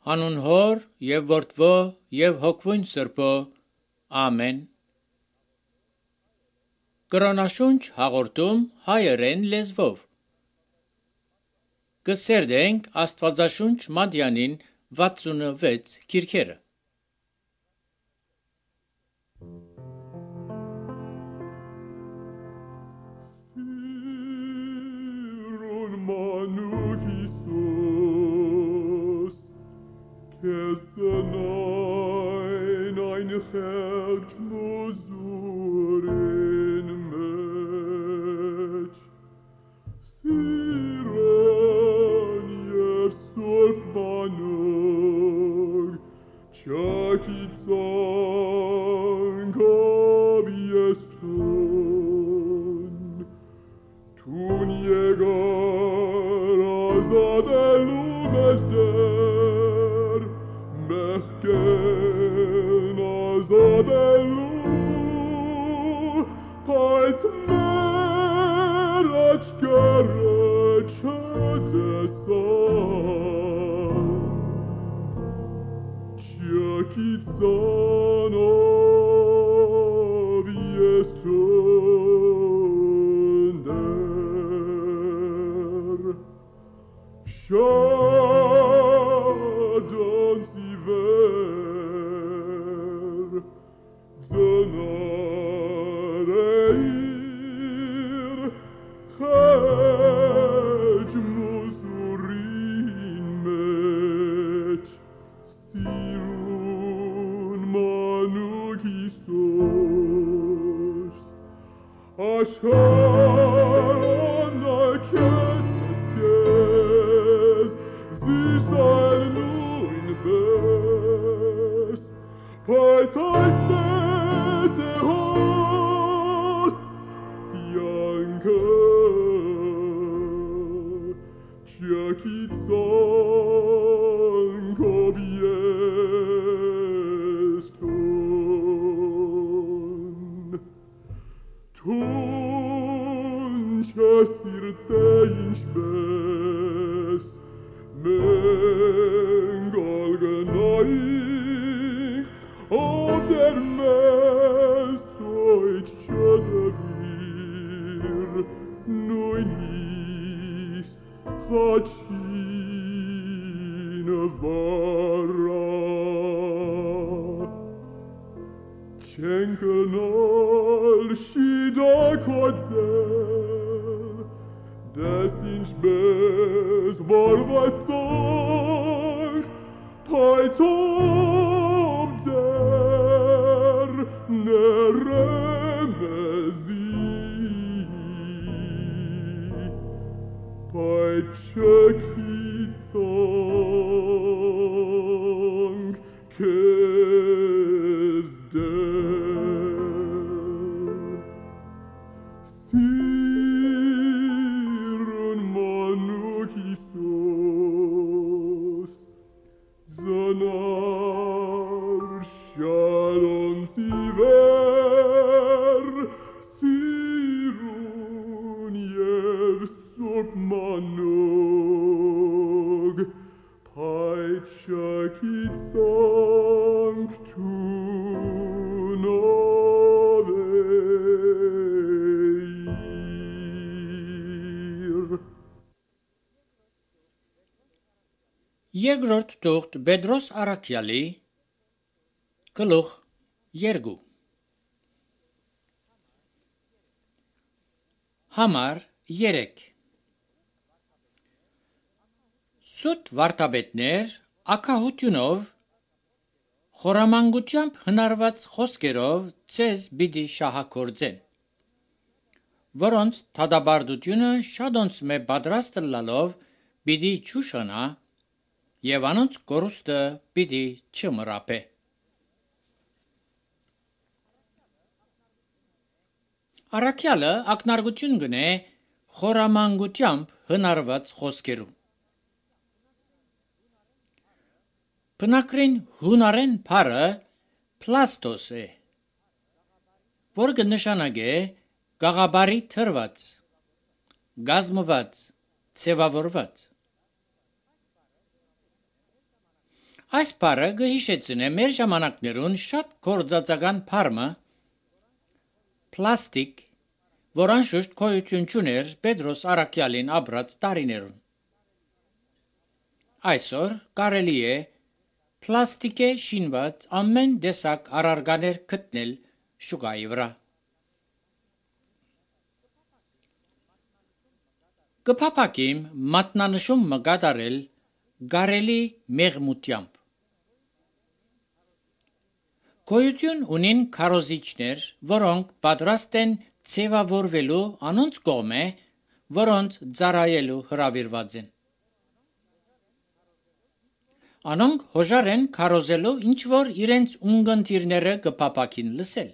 Հանուն Հոր եւ Որդվո եւ Հոգվույն Սրբո, ամեն։ Կրոնաշունչ հաղորդում հայերեն լեզվով։ Կսերդենք Աստվածաշունչ Մատյանին 66 գիրքերը։ Երկրորդ թուղթ Պետրոս Առաքյալի գլուխ 2 Համար 3 Սուտ վարդապետներ ակահությունով խորամանկությամբ հնարված խոսքերով ցեզ պիտի շահագործեն, որոնց դատապարտությունը շատոնց մե պատրաստ լալով պիտի ճուշանա եւ անոնց կորուստը պիտի չմռապե։ Առաքյալը ակնարկություն կնե խորամանկությամբ հնարված խոսքերում։ Բնակրին հունարեն բառը պլաստոս է, որ կնշանակե գաղաբարի թրված, գազմված, ձևավորված։ Այս բառը կհիշեցնե մեր ժամանակներուն շատ կորձածական բառը պլաստիկ, որ անշուշտ գոյություն չուներ Պետրոս առաքյալին ապրած տարիներուն։ Այսօր կարելի է պլաստիկե շինված ամեն տեսակ առարկաներ գտնել շուկայի վրա։ Կփափակիմ մատնանշում կատարել կարելի մեղմությամբ։ Գոյություն ունին քարոզիչներ, որոնք պատրաստ են ձևավորվելու անոնց կողմէ, որոնց ծառայելու հրավիրված են։ Անոնք հոժար են քարոզելու ինչ որ իրենց ունգընտիրները կփափակին լսել։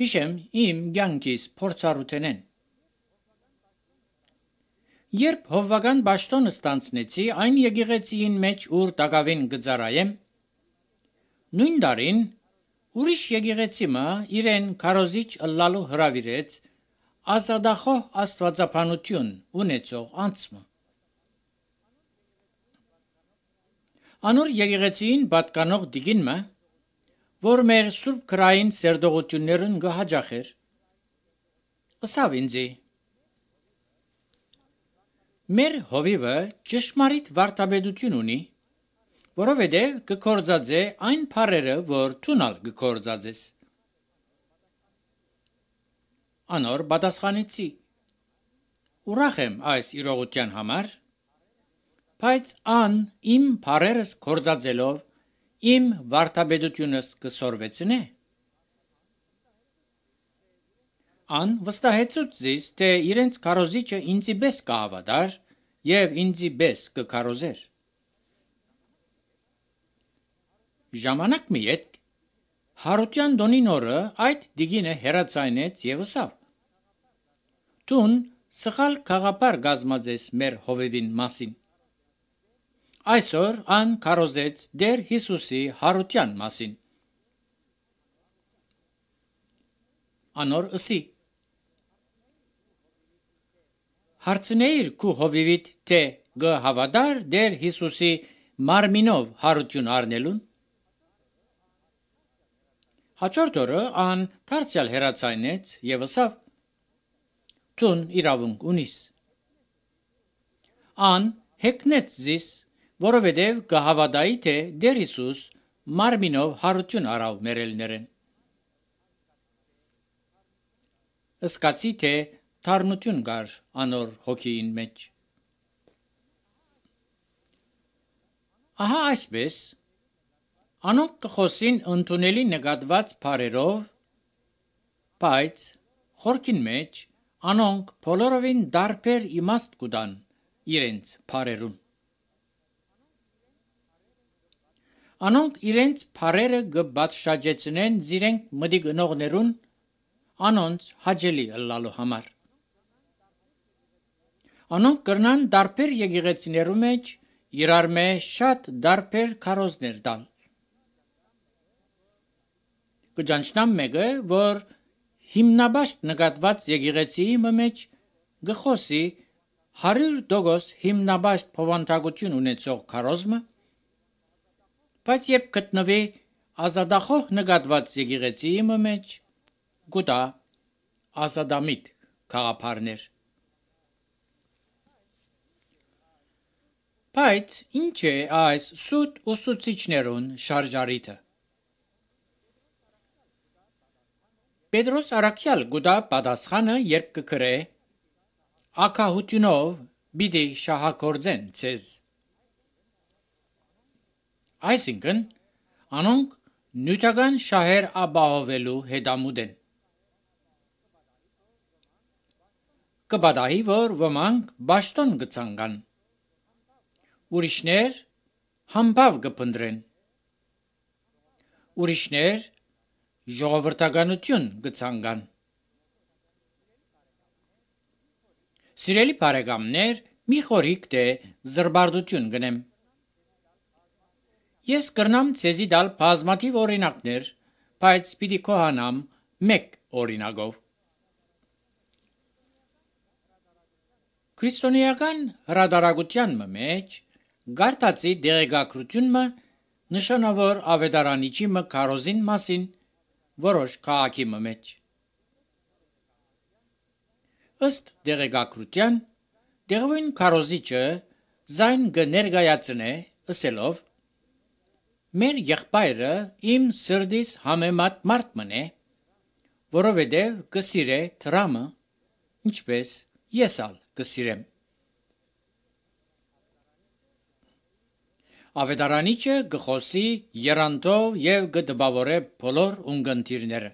Հիշեմ իմ կյանքիս փորձառութենեն։ Երբ հովվական պաշտոնը ստանցնեցի այն եկեղեցիին մեջ ուր տակավին կծառայեմ, նույն տարին ուրիշ եկեղեցի մը իրեն քարոզիչ ըլլալու հրավիրեց ազատախոհ աստվածաբանություն ունեցող անձը։ Անոր եկեղեցիին պատկանող դիգինը, որ մեր սուրբ քրային սերտողություններուն կհաջախեր, ըսավ ինձի. մեր հովիվը ճշմարիտ վարդապետություն ունի, որովհետև կկործածե այն բառերը, որ դունալ կկործածես։ Անոր պատասխանեցի. ուրախ եմ այս իրողության համար, բայց ան իմ բառերս կործածելով իմ վարդապետությունս կսորվեցնե։ Ան վստահեցուց զիս, թե իրենց քարոզիչը ինձի պես կհավատար և ինձի պես կքարոզեր։ Ժամանակ մի ետք Հարության տոնին օրը այդ դիգինը հեռացայնեց և ըսավ. «Դուն սխալ գաղափար կազմած ես մեր հովիվին մասին»։ Այսօր ան քարոզեց Տեր Հիսուսի հարության մասին։ Անոր ըսի. հարցնեիր քու հովիվիդ, թե կհավատար Տեր Հիսուսի մարմինով հարություն առնելուն։ Հաջորդ օրը ան դարձյալ հեռացայնեց և ըսավ. «Դուն իրավունք ունիս»։ Ան հեգնեց զիս, որովհետև կհավատայի, թե Տեր Հիսուս մարմինով հարություն առավ մերելներեն։ Սկացի, թե թարմություն կար անոր հոգիին մեջ։ Ահա այսպես անոնք կխոսին ընդունելի նկատված բառերով, բայց խորքին մեջ անոնք բոլորովին տարբեր իմաստ կուտան իրենց բառերուն։ Անոնք իրենց բառերը կպատշաճեցնեն զիրենք մտիկ ընողներուն անոնց հաճելի ըլլալու համար։ Անոնք կրնան տարբեր եկեղեցիներու մեջ իրար մե շատ տարբեր քարոզներ տալ։ Կճանչնամ մեկը, որ հիմնաբաշտ նկատված եկեղեցիի մեջ գխոսի 100% հիմնաբաշտ փոխանցագություն ունեցող քարոզմը, բայց երբ գտնվի ազատախոհ նկատված եկեղեցիի մեջ գուտա ազատամիտ գաղափարներ։ Բայց ինչ է այս սուտ ուսուցիչներուն շարժարիթը։ Պետրոս առաքյալ գուտա պատասխանը, երբ կգրե ակահությունով պիտի շահագործեն ցեզ։ Այսինքն անոնք նյութական շահեր ապահովելու հետամուտ են։ Կպատահի, որ ոմանք պաշտոն կցանկան, ուրիշներ համբավ կփնտրեն, ուրիշներ ժողովրդականություն կցանկան։ Սիրելի բարեկամներ, մի խորհիկ թե զրբարտություն գնեմ։ Ես կրնամ ցեզի տալ բազմաթիվ օրինակներ, բայց պիտի կոհանամ մեկ օրինակով։ Քրիստոնեական հրատարակության մեջ գարտացի դեղեկագրությունը նշանավոր ավետարանիչի մը քարոզին մասին որոշ քաղաքի մեջ։ Ըստ դեղեկագրության դեղին քարոզիչը զայն կներկայացնե ըսելով. «Մեր եղբայրը իմ սրտիս համեմատ մարդ մնե, որովհետև կսիրե դրամը, ինչպես ես ալ կսիրեմ»։ Ավետարանիչը կխոսի երանտով եւ կդպավորե բոլոր ունկնդիրները։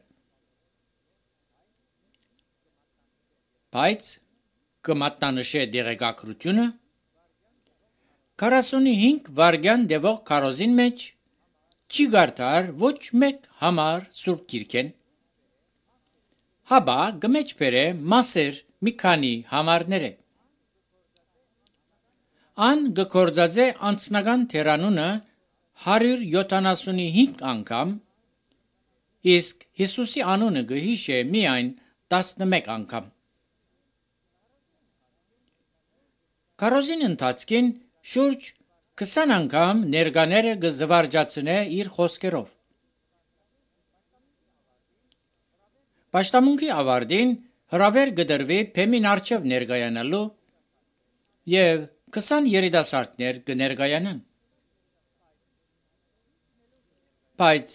Բայց կմատնանշե դեղեկագրությունը 45 վայրկյան տևող քարոզին մեջ չի գարտար ոչ մեկ համար Սուրբ Գիրքեն, հաբա կմեջբերե մասեր մի քանի համարները։ Ան կգործածե անձնական թերանունը 175 անգամ, իսկ Հիսուսի անունը կհիշե միայն 11 անգամ։ Քարոզին ընթացքին շուրջ 20 անգամ ներկաները կզվարճացնե իր խոսքերով։ Պաշտամունքի ավարտին հրավեր կդրվի փեմին առջև ներկայանալու եւ 20 երիտասարդներ կներկայանան։ Բայց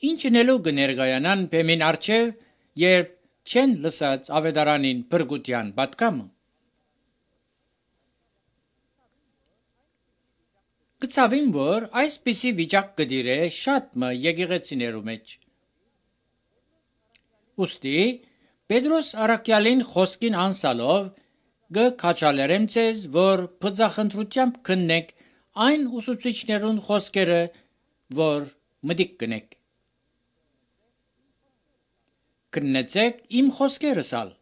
ինչնելու կներկայանան փեմին առջև, երբ չեն լսած ավետարանին բրգության պատկամը։ Կցավին, որ այսպիսի վիճակ կդիրե շատ մը եկեղեցիներու մեջ։ Ուստի Պետրոս առաքյալին խոսքին անսալով կքաջալերեմ ձեզ, որ բծախնդրությամբ քննեք այն ուսուցիչներուն խոսքերը, որ մտիկ կնեք։ Քննեցեք իմ խոսքերս ալ,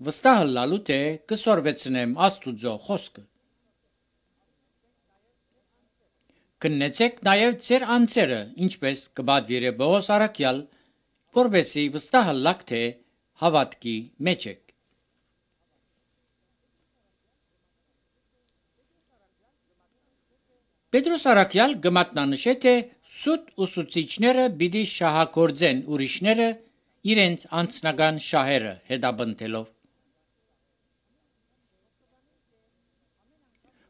վստահ լալու թե կսորվեցնեմ Աստուծո խոսքը։ Քննեցեք նաև ձեր անձերը, ինչպես կպատվիրե Պողոս առաքյալ, որպեսզի վստահ լաք թե հավատքի մեջ եք։ Պետրոս առաքյալ կմատնանշե, թե սուտ ուսուցիչները պիտի շահագործեն ուրիշները իրենց անձնական շահերը հետապնդելով։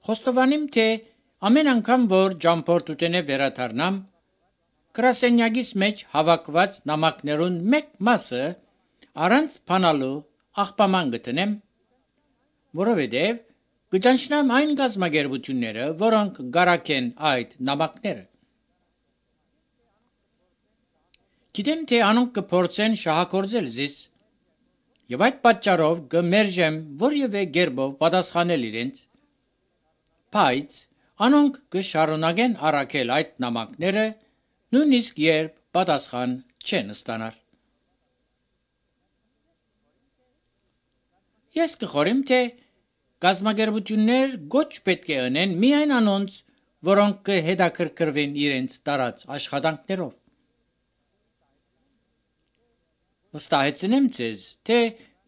Խոստովանիմ, թե ամեն անգամ, որ ճամփորդութենե վերադառնամ, գրասենյակիս մեջ հավաքված նամակներուն մեկ մասը առանց բանալու աղբաման գտնեմ, որովհետև կճանչնամ այն գազམ་ագերբությունները, որոնք գարակեն այդ նամակները։ Գիտեմ, թե անոնք կփորձեն շահագործել զիս, եւ այդ պատճառով կմերժեմ որևէ կերպով պատասխանել իրենց, բայց անոնք կշարունակեն առաքել այդ նամակները, նույնիսկ երբ պատասխան չեն ստանալ։ Ես կխորեմ, թե գազམ་ագերբություններ ոչ պետք է անեն միայն անոնց, որոնք կհետաքրքրվեն իրենց տարած աշխատանքներով։ Վստահեցնեմ ձեզ, թե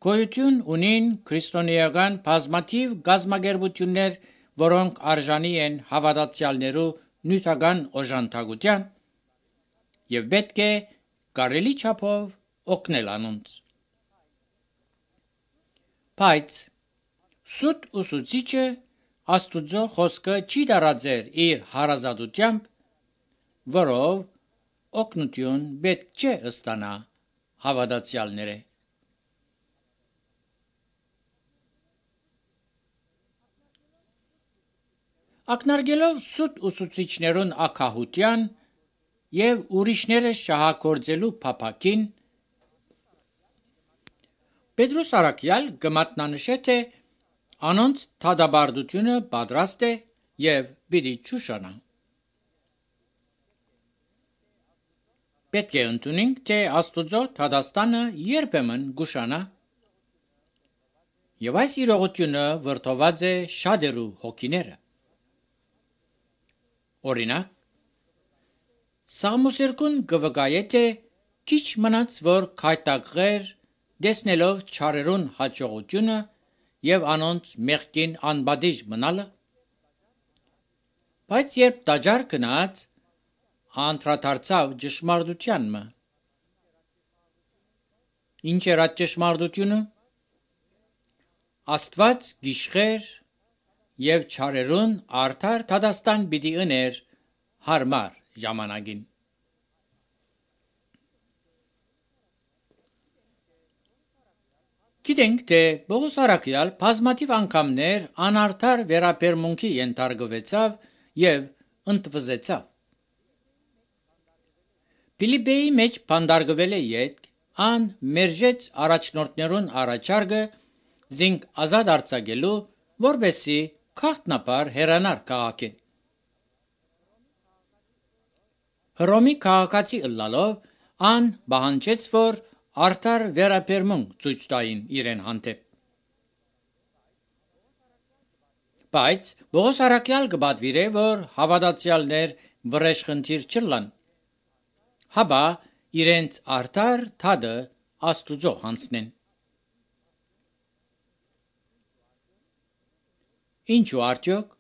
գոյություն ունին քրիստոնեական բազմաթիվ գազམ་ագերբություններ, որոնք արժանի են հավատացյալներու նյութական օժանդակության եւ պետք է կարելի չափով օգնել անոնց։ Բայց սուտ ուսուցիչը Աստուծո խոսքը չի տարածեր իր հարազատությամբ, որով օգնություն պետք չէ ստանա հավատացյալները։ Ակնարկելով սուտ ուսուցիչներուն ակահության եւ ուրիշները շահագործելու փափակին, Պետրոս առաքյալ կմատնանշե, թե անոնց թադաբարդությունը պատրաստ է եւ պիտի ճուշանա։ Պետք է ընդունենք, թե Աստուծո թադաստանը երբեմն գուշանա, եւ այս իրողությունը վրդոված է շատերու հոգիները։ Օրինակ, Սաղմոս 2 կվկայե, թե քիչ մնաց, որ քայտակղեր տեսնելով չարերուն հաջողությունը եւ անոնց մեղքին անբադիժ մնալը, Բայց երբ տաճար գնաց, անդրադարձավ ճշմարտությանն։ Ինչ էր այդ ճշմարտությունը։ Աստված գիշխեր եւ չարերուն արդար դադաստան պիտի ըներ հարմար ժամանակին։ Գիտենք, թե Պողոս առաքյալ բազմաթիվ անգամներ անարդար վերաբերմունքի ենթարկվեցավ եւ ընդվզեցավ։ Ֆիլիպպեի մեջ բանդարգվել է յետք, ան մերժեց առաջնորդներուն առաջարկը զինք ազատ արձակելու, որբեսի քաղտնապար հեռանար քաղաքին։ Հռոմի քաղաքացի ըլլալով ան պահանջեց, որ արդար վերաբերմունք ցույց տային իրեն հանդեպ։ Բայց Պողոս առաքյալ կպատվիրե, որ հավատացյալներ վրեժխնդիր չլան, հապա իրենց արդար թադը Աստուծո հանձնեն։ Ինչու արդյոք։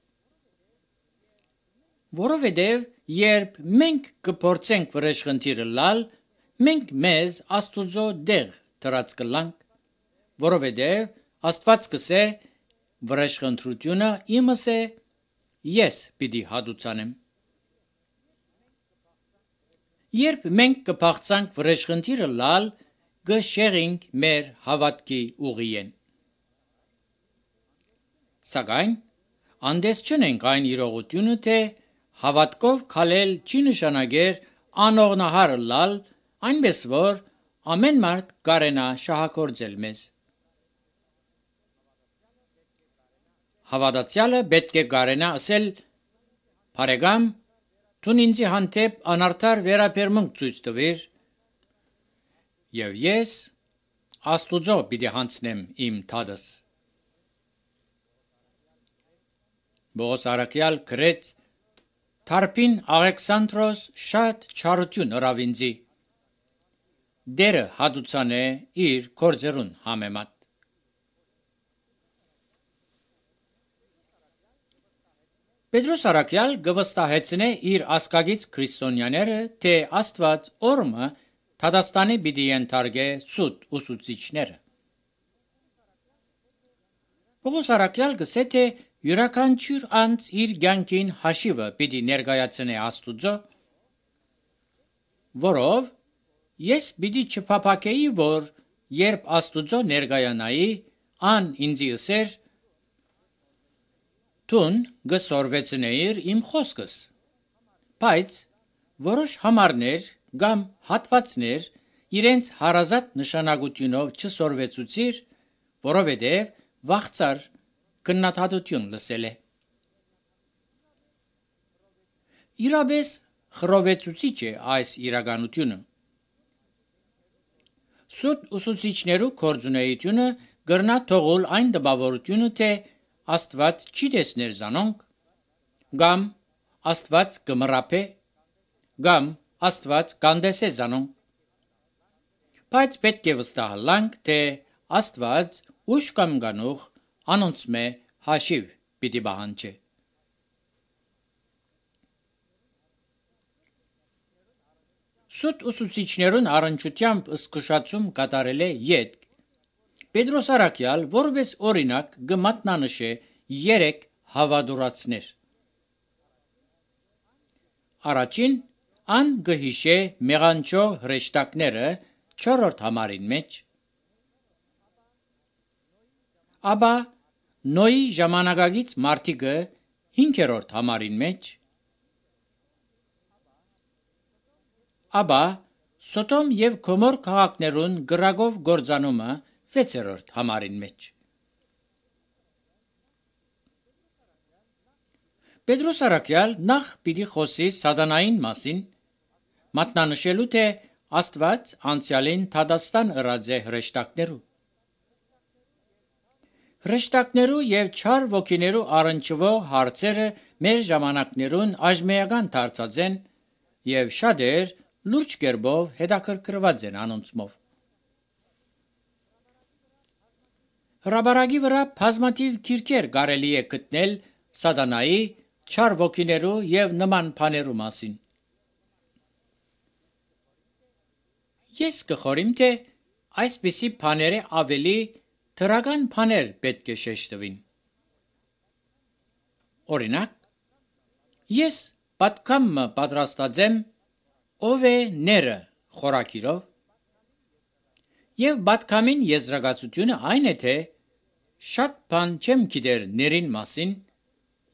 Որովհետև երբ մենք կփորձենք վրեժխնդիրը լալ, մենք մեզ Աստուծո դեղ դրած կլանք, որովհետև Աստված կսե վրեժխնդրությունը իմս է, ես պիտի հատուցանեմ։ Երբ մենք կփախցանք վրեժխնդիրը լալ, կշեղինք մեր հավատքի ուղիեն։ Սակայն անդես չնենք այն իրողությունը, թե հավատքով քալել չի նշանակեր անողնահար լալ, այնպես որ ամեն մարդ կարենա շահագործել մեզ։ Հավատացյալը պետք է կարենա ասել. «Բարեկամ, դու ինձ հանդեպ անարդար վերաբերմունք ցույց տվիր, եւ ես Աստուծո պիտի հանձնեմ իմ թադս»։ Պողոս առաքյալ գրեց. «Թարփին Աղեքսանդրոս շատ չարություն ըրավ ինձի, դերը հատուցանե իր գործերուն համեմատ»։ Պետրոս առաքյալ գվստահեցնե իր ասկագից քրիստոնյաները, թե Աստված օրմը դատաստանի պիտի ենթարկե սուտ ուսուցիչները։ Պողոս առաքյալ գսե, թե յուրաքանչյուր անձ իր կյանքին հաշիվը պիտի ներկայացնե Աստուծո, որով ես պիտի չփափակեի, որ երբ Աստուծո ներկայանայի, ան ինձի ըսեր. «Դուն գսորվեցնեիր իմ խոսքս», բայց որոշ համարներ կամ հատվածներ իրենց հարազատ նշանակությունով չսորվեցուցիր, որովհետև վախծար քննադատություն լսել է։ Իրապես խռովեցուցիչ է այս իրականությունը։ Սուտ ուսուցիչներու կորձունեությունը գրնա թողול այն տպավորությունը, թե Աստված չի տեսներ զանոնք, կամ Աստված կմռապե, կամ Աստված կանդեսե զանոնք։ Բայց պետք է վստահանք, թե Աստված ուշ կամ գանուխ անոնցմե հաշիվ պիտի պահանջե։ Սուտ ուսուցիչներուն առնչությամբ զսկուշացում կատարել է յետք Պետրոս առաքյալ, որպես օրինակ կմատնանշե 3 հավատուրացներ։ Առաջին ան կհիշե մեղանչո հրեշտակները 4-րդ համարին մեջ, ապա Նոյի ժամանակագից մարդիկը 5-րդ համարին մեջ, ապա Սոդոմ եւ Գոմոր քաղաքներուն գրագով գործանումը 6-րդ համարին մեջ։ Պետրոս առաքյալ նախ պիտի խոսի սատանային մասին, մատնանշելու, թե Աստված անցյալին դատաստան ըրած է հրեշտակներու։ Հրեշտակներու եւ չար ոգիներու առնչվող հարցերը մեր ժամանակներուն աժմեական դարձած են եւ շատեր լուրջ կերպով հետաքրքրված են անոնցմով։ Հրապարակի վրա բազմաթիվ գիրքեր կարելի է գտնել սատանայի չար ոգիներու եւ նման բաներու մասին։ Ես կխորիմ, թե այսպիսի բաները ավելի դրական բաներ պետք է շեշտվին։ Օրինակ, ես պատկամը պատրաստած եմ ով է ները խորակիրով, եւ պատկամին եզրակացությունը այն է, թե շատ բան չեմ գիտեր ներին մասին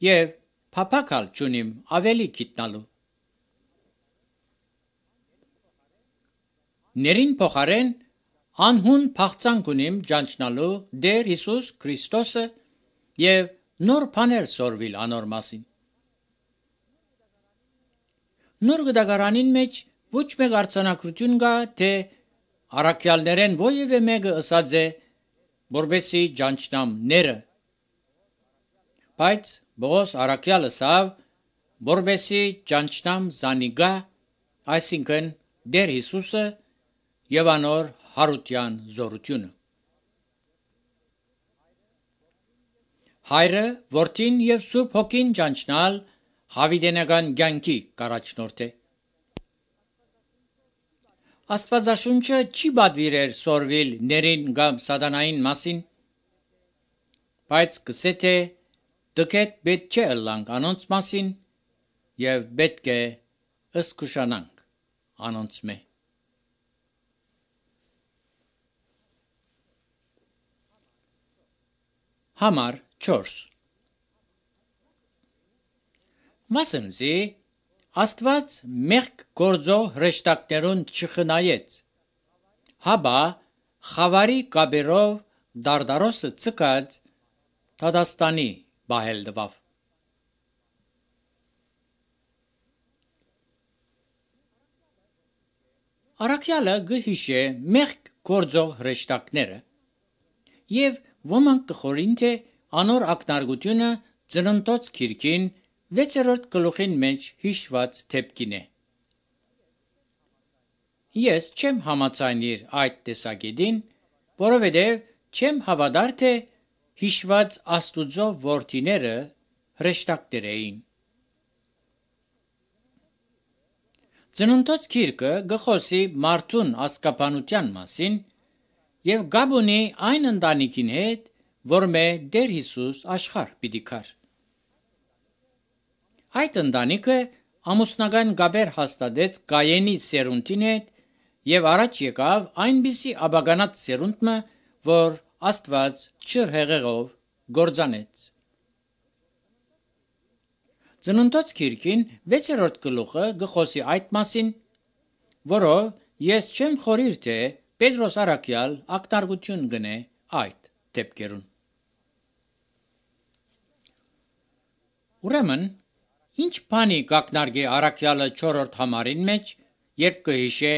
եւ փափակալ չունիմ ավելի գիտնալու։ Ներին փոխարեն անհուն փախցանք ունիմ ճանչնալու Տեր Հիսուս Քրիստոսը եւ նոր բաներ սորվիլ անոր մասին։ Նոր գդագարանին մեջ ոչ մեկ արձանագրություն կա, թե առաքյալներեն ովևէ մեկը ըսած է, որբեսի ճանչնամ ները, բայց Պողոս առաքյալը ասավ, որբեսի ճանչնամ զանիգա, այսինքն Տեր Հիսուսը եւ անոր հարության զորությունը։ Հայրը, որդին եւ Սուրբ Հոգին ճանչնալ հավիտենական կյանքի կառաջնորդ է։ Աստվածաշունչը չի պատվիրեր սորվիլ ներին կամ սատանային մասին, բայց կսե թե դկետ պետք չէ ըլլանք անոնց մասին եւ պետք է ըսկուշանանք անոնց մե։ Համար 4 Մասնզի Աստված մեղք գործող հրեշտակներուն չխնայեց, հաբա խավարի կաբերով դարդարոսը ցկած Թադաստանի բահել դվավ։ Առաքյալը գհիշե մեղք գործող հրեշտակները եւ ոմանք կխորին, թե անոր ակնարկությունը ծննդոց քիրքին 6-րդ գլուխին մեջ հիշված թեփքին է։ Ես չեմ համաձայնիր այդ տեսակետին, որովհետև չեմ հավատար, թե հիշված Աստուծո որդիները հրեշտակներ էին։ Ծննդոց քիրքը գխոսի մարդուն ասկապանության մասին եւ գաբունի այն ընտանիքին հետ, որ մե Տեր Հիսուս աշխարհ պիտի գար։ Այդ ընտանիքը ամուսնական գաբեր հաստատեց Կայենի սերունդին հետ եւ առաջ եկավ այնպիսի աբականած սերունդը, որ Աստված չհեղեղով գործանեց։ Ծննդոց քիրքին 6-րդ գլուխը գխոսի այդ մասին, որով ես չեմ խորիր, թե Պետրոս առաքյալ ակնարկություն գնե այդ դեպքերուն։ Ուրեմն, ինչ բանի կակնարկի առաքյալը 4-րդ համարին մեջ, երբ կհիշե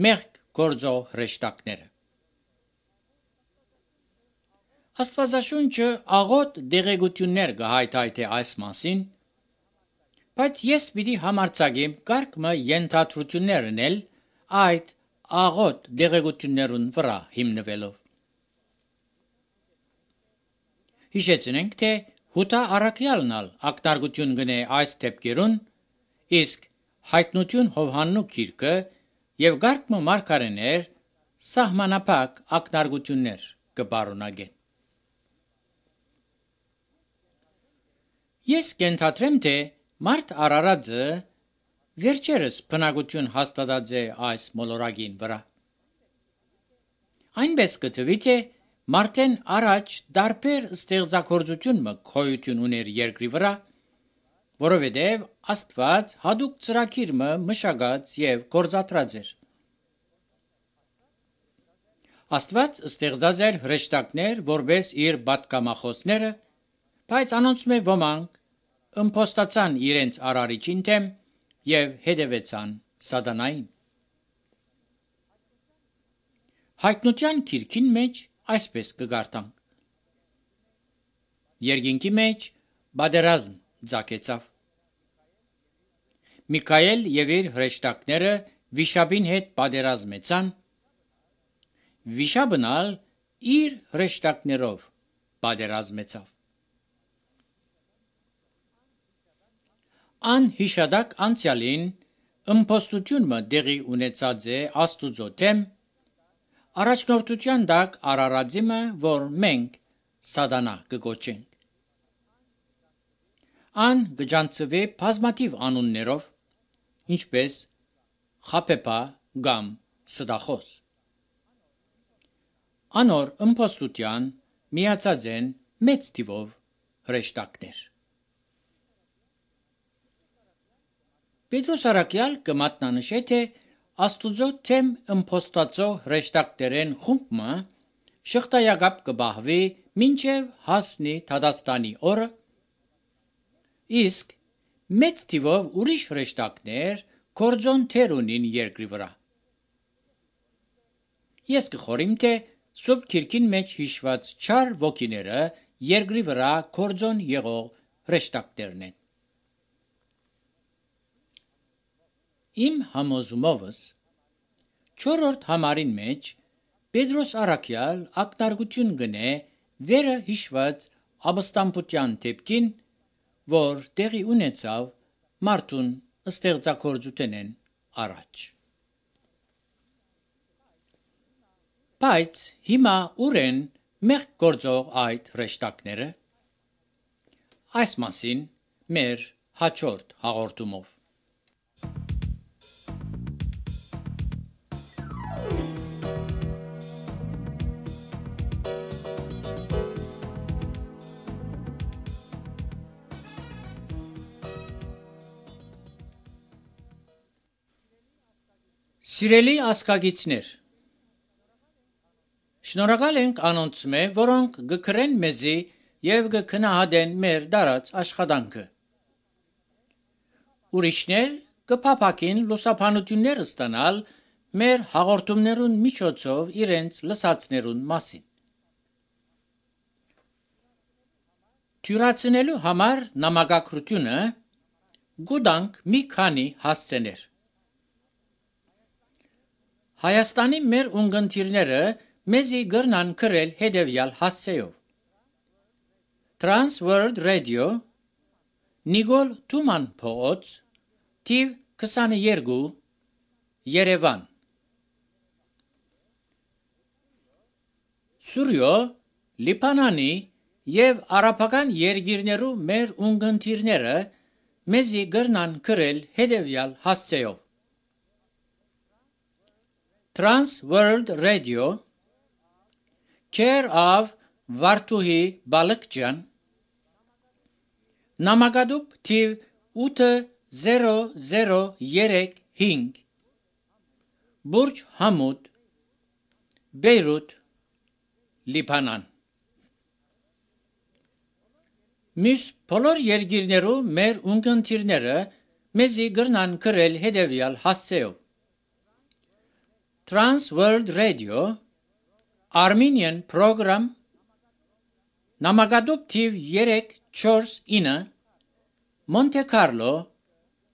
մեղք գործող հրեշտակները։ Աստվածաշունչը աղոտ դեղեցություններ կհայթայթի այս մասին, բայց ես պիտի համարձակեմ կարգը ենթադրություններ անել այդ աղոտ դեղեցություններուն վրա հիմնվելով։ Հիշեցնենք, թե Հուտա առաքյալն ակնարկություն գնե այս դեպքերուն, իսկ հայտնություն Հովհաննու գիրքը եւ գարկը մարգարեներ սահմանափակ ակնարկություններ կբարունագեն։ Ես կենթադրեմ, թե մարդ արարածը վերջերս բնակություն հաստատած է այս մոլորակին վրա։ Այնպես կթվի, թե մարդեն առաջ դարբեր ստեղծագործություն գոյություն ուներ երկրի վրա, որովհետև Աստված հadouk ծրագիր մշակած եւ գործադրած էր։ Աստված ստեղծած էր հրեշտակներ որպես իր պատգամախոսները, բայց անոնց մե ոմանք ըմփոստացան իրենց արարիչին դեմ եւ հետևեցան սատանային։ Հայտնության գիրքին մեջ այսպես կգարտանք. Երկինքի մեջ բادرազմ ցակեցավ։ Միքայել եւ իր հրեշտակները վիշապին հետ բادرազմեցան, վիշապն ալ իր հրեշտակներով բادرազմեցավ։ Անհիշադակ անցյալին ըմբոստությունը դեղի ունեցած է Աստուծո դեմ, առաջնորդության դակ արարածիմը, որ մենք սատանա կգոչենք։ Ան գջանցվե բազմաթիվ անուններով, ինչպես խապեպա կամ սդախոս։ Անոր ըմբոստության միացած են մեծ թիվով հրեշտակներ։ Պետրոս Արաքյալ կմատնանշե, թե Աստուծո թեմ ըմբոստածո հրեշտակներեն խումբը շղթայակապ կբահվի մինչև հասնի Թադաստանի օրը, իսկ մեծ թիվով ուրիշ հրեշտակներ կորձոն թեր ունին երկրի վրա։ Ես կխորիմ, թե Սուրբ Քիրքին մեջ հիշված չար ոգիները երկրի վրա կորձոն եղող հրեշտակներն են։ Իմ համոզումովս չորրորդ համարին մեջ Պետրոս Արաքյալ ակնարկություն գնե վերը հիշված ապստամբության դեպքին, որ տեղի ունեցավ մարդուն ստեղծագործութենեն առաջ։ Բայց հիմա ուր են մեղք գործող այդ հրեշտակները։ Այս մասին մեր հաջորդ հաղորդումով։ Սիրելի ազգագիցներ, շնորհակալ ենք անոնց մե, որոնք գկրեն մեզի և գքնահատեն մեր դարած աշխատանքը։ Ուրիշներ կփափակին լուսաբանություններ ստանալ մեր հաղորդումներուն միջոցով իրենց լսածներուն մասին։ Թյուրացնելու համար նամակագրությունը գուտանք մի քանի հասցեներ։ Հայաստանի մեր ունգընտիրները մեզի գրնան գրել հետևյալ հասցեով. Trans World Radio, Նիկոլ Թուման փողոց, թիվ 22, Երևան։ Սուրյո, Լիբանանի և արաբական երկիրներու մեր ունգընտիրները մեզի գրնան գրել հետևյալ հասցեով. Trans World Radio, Care of Վարդուհի Բալկջյան, նամակադուփ թիվ 80035, Բուրջ Համուդ, Բեյրութ, Լիբանան։ Մյուս բոլոր երկիրներու մեր ունգընտիրները մեզի գրնան գրել հետևյալ հասցեով. Trans World Radio, Armenian Program, նամակադուփ թիվ 349, Monte Carlo,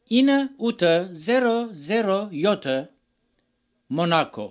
9807, Monaco։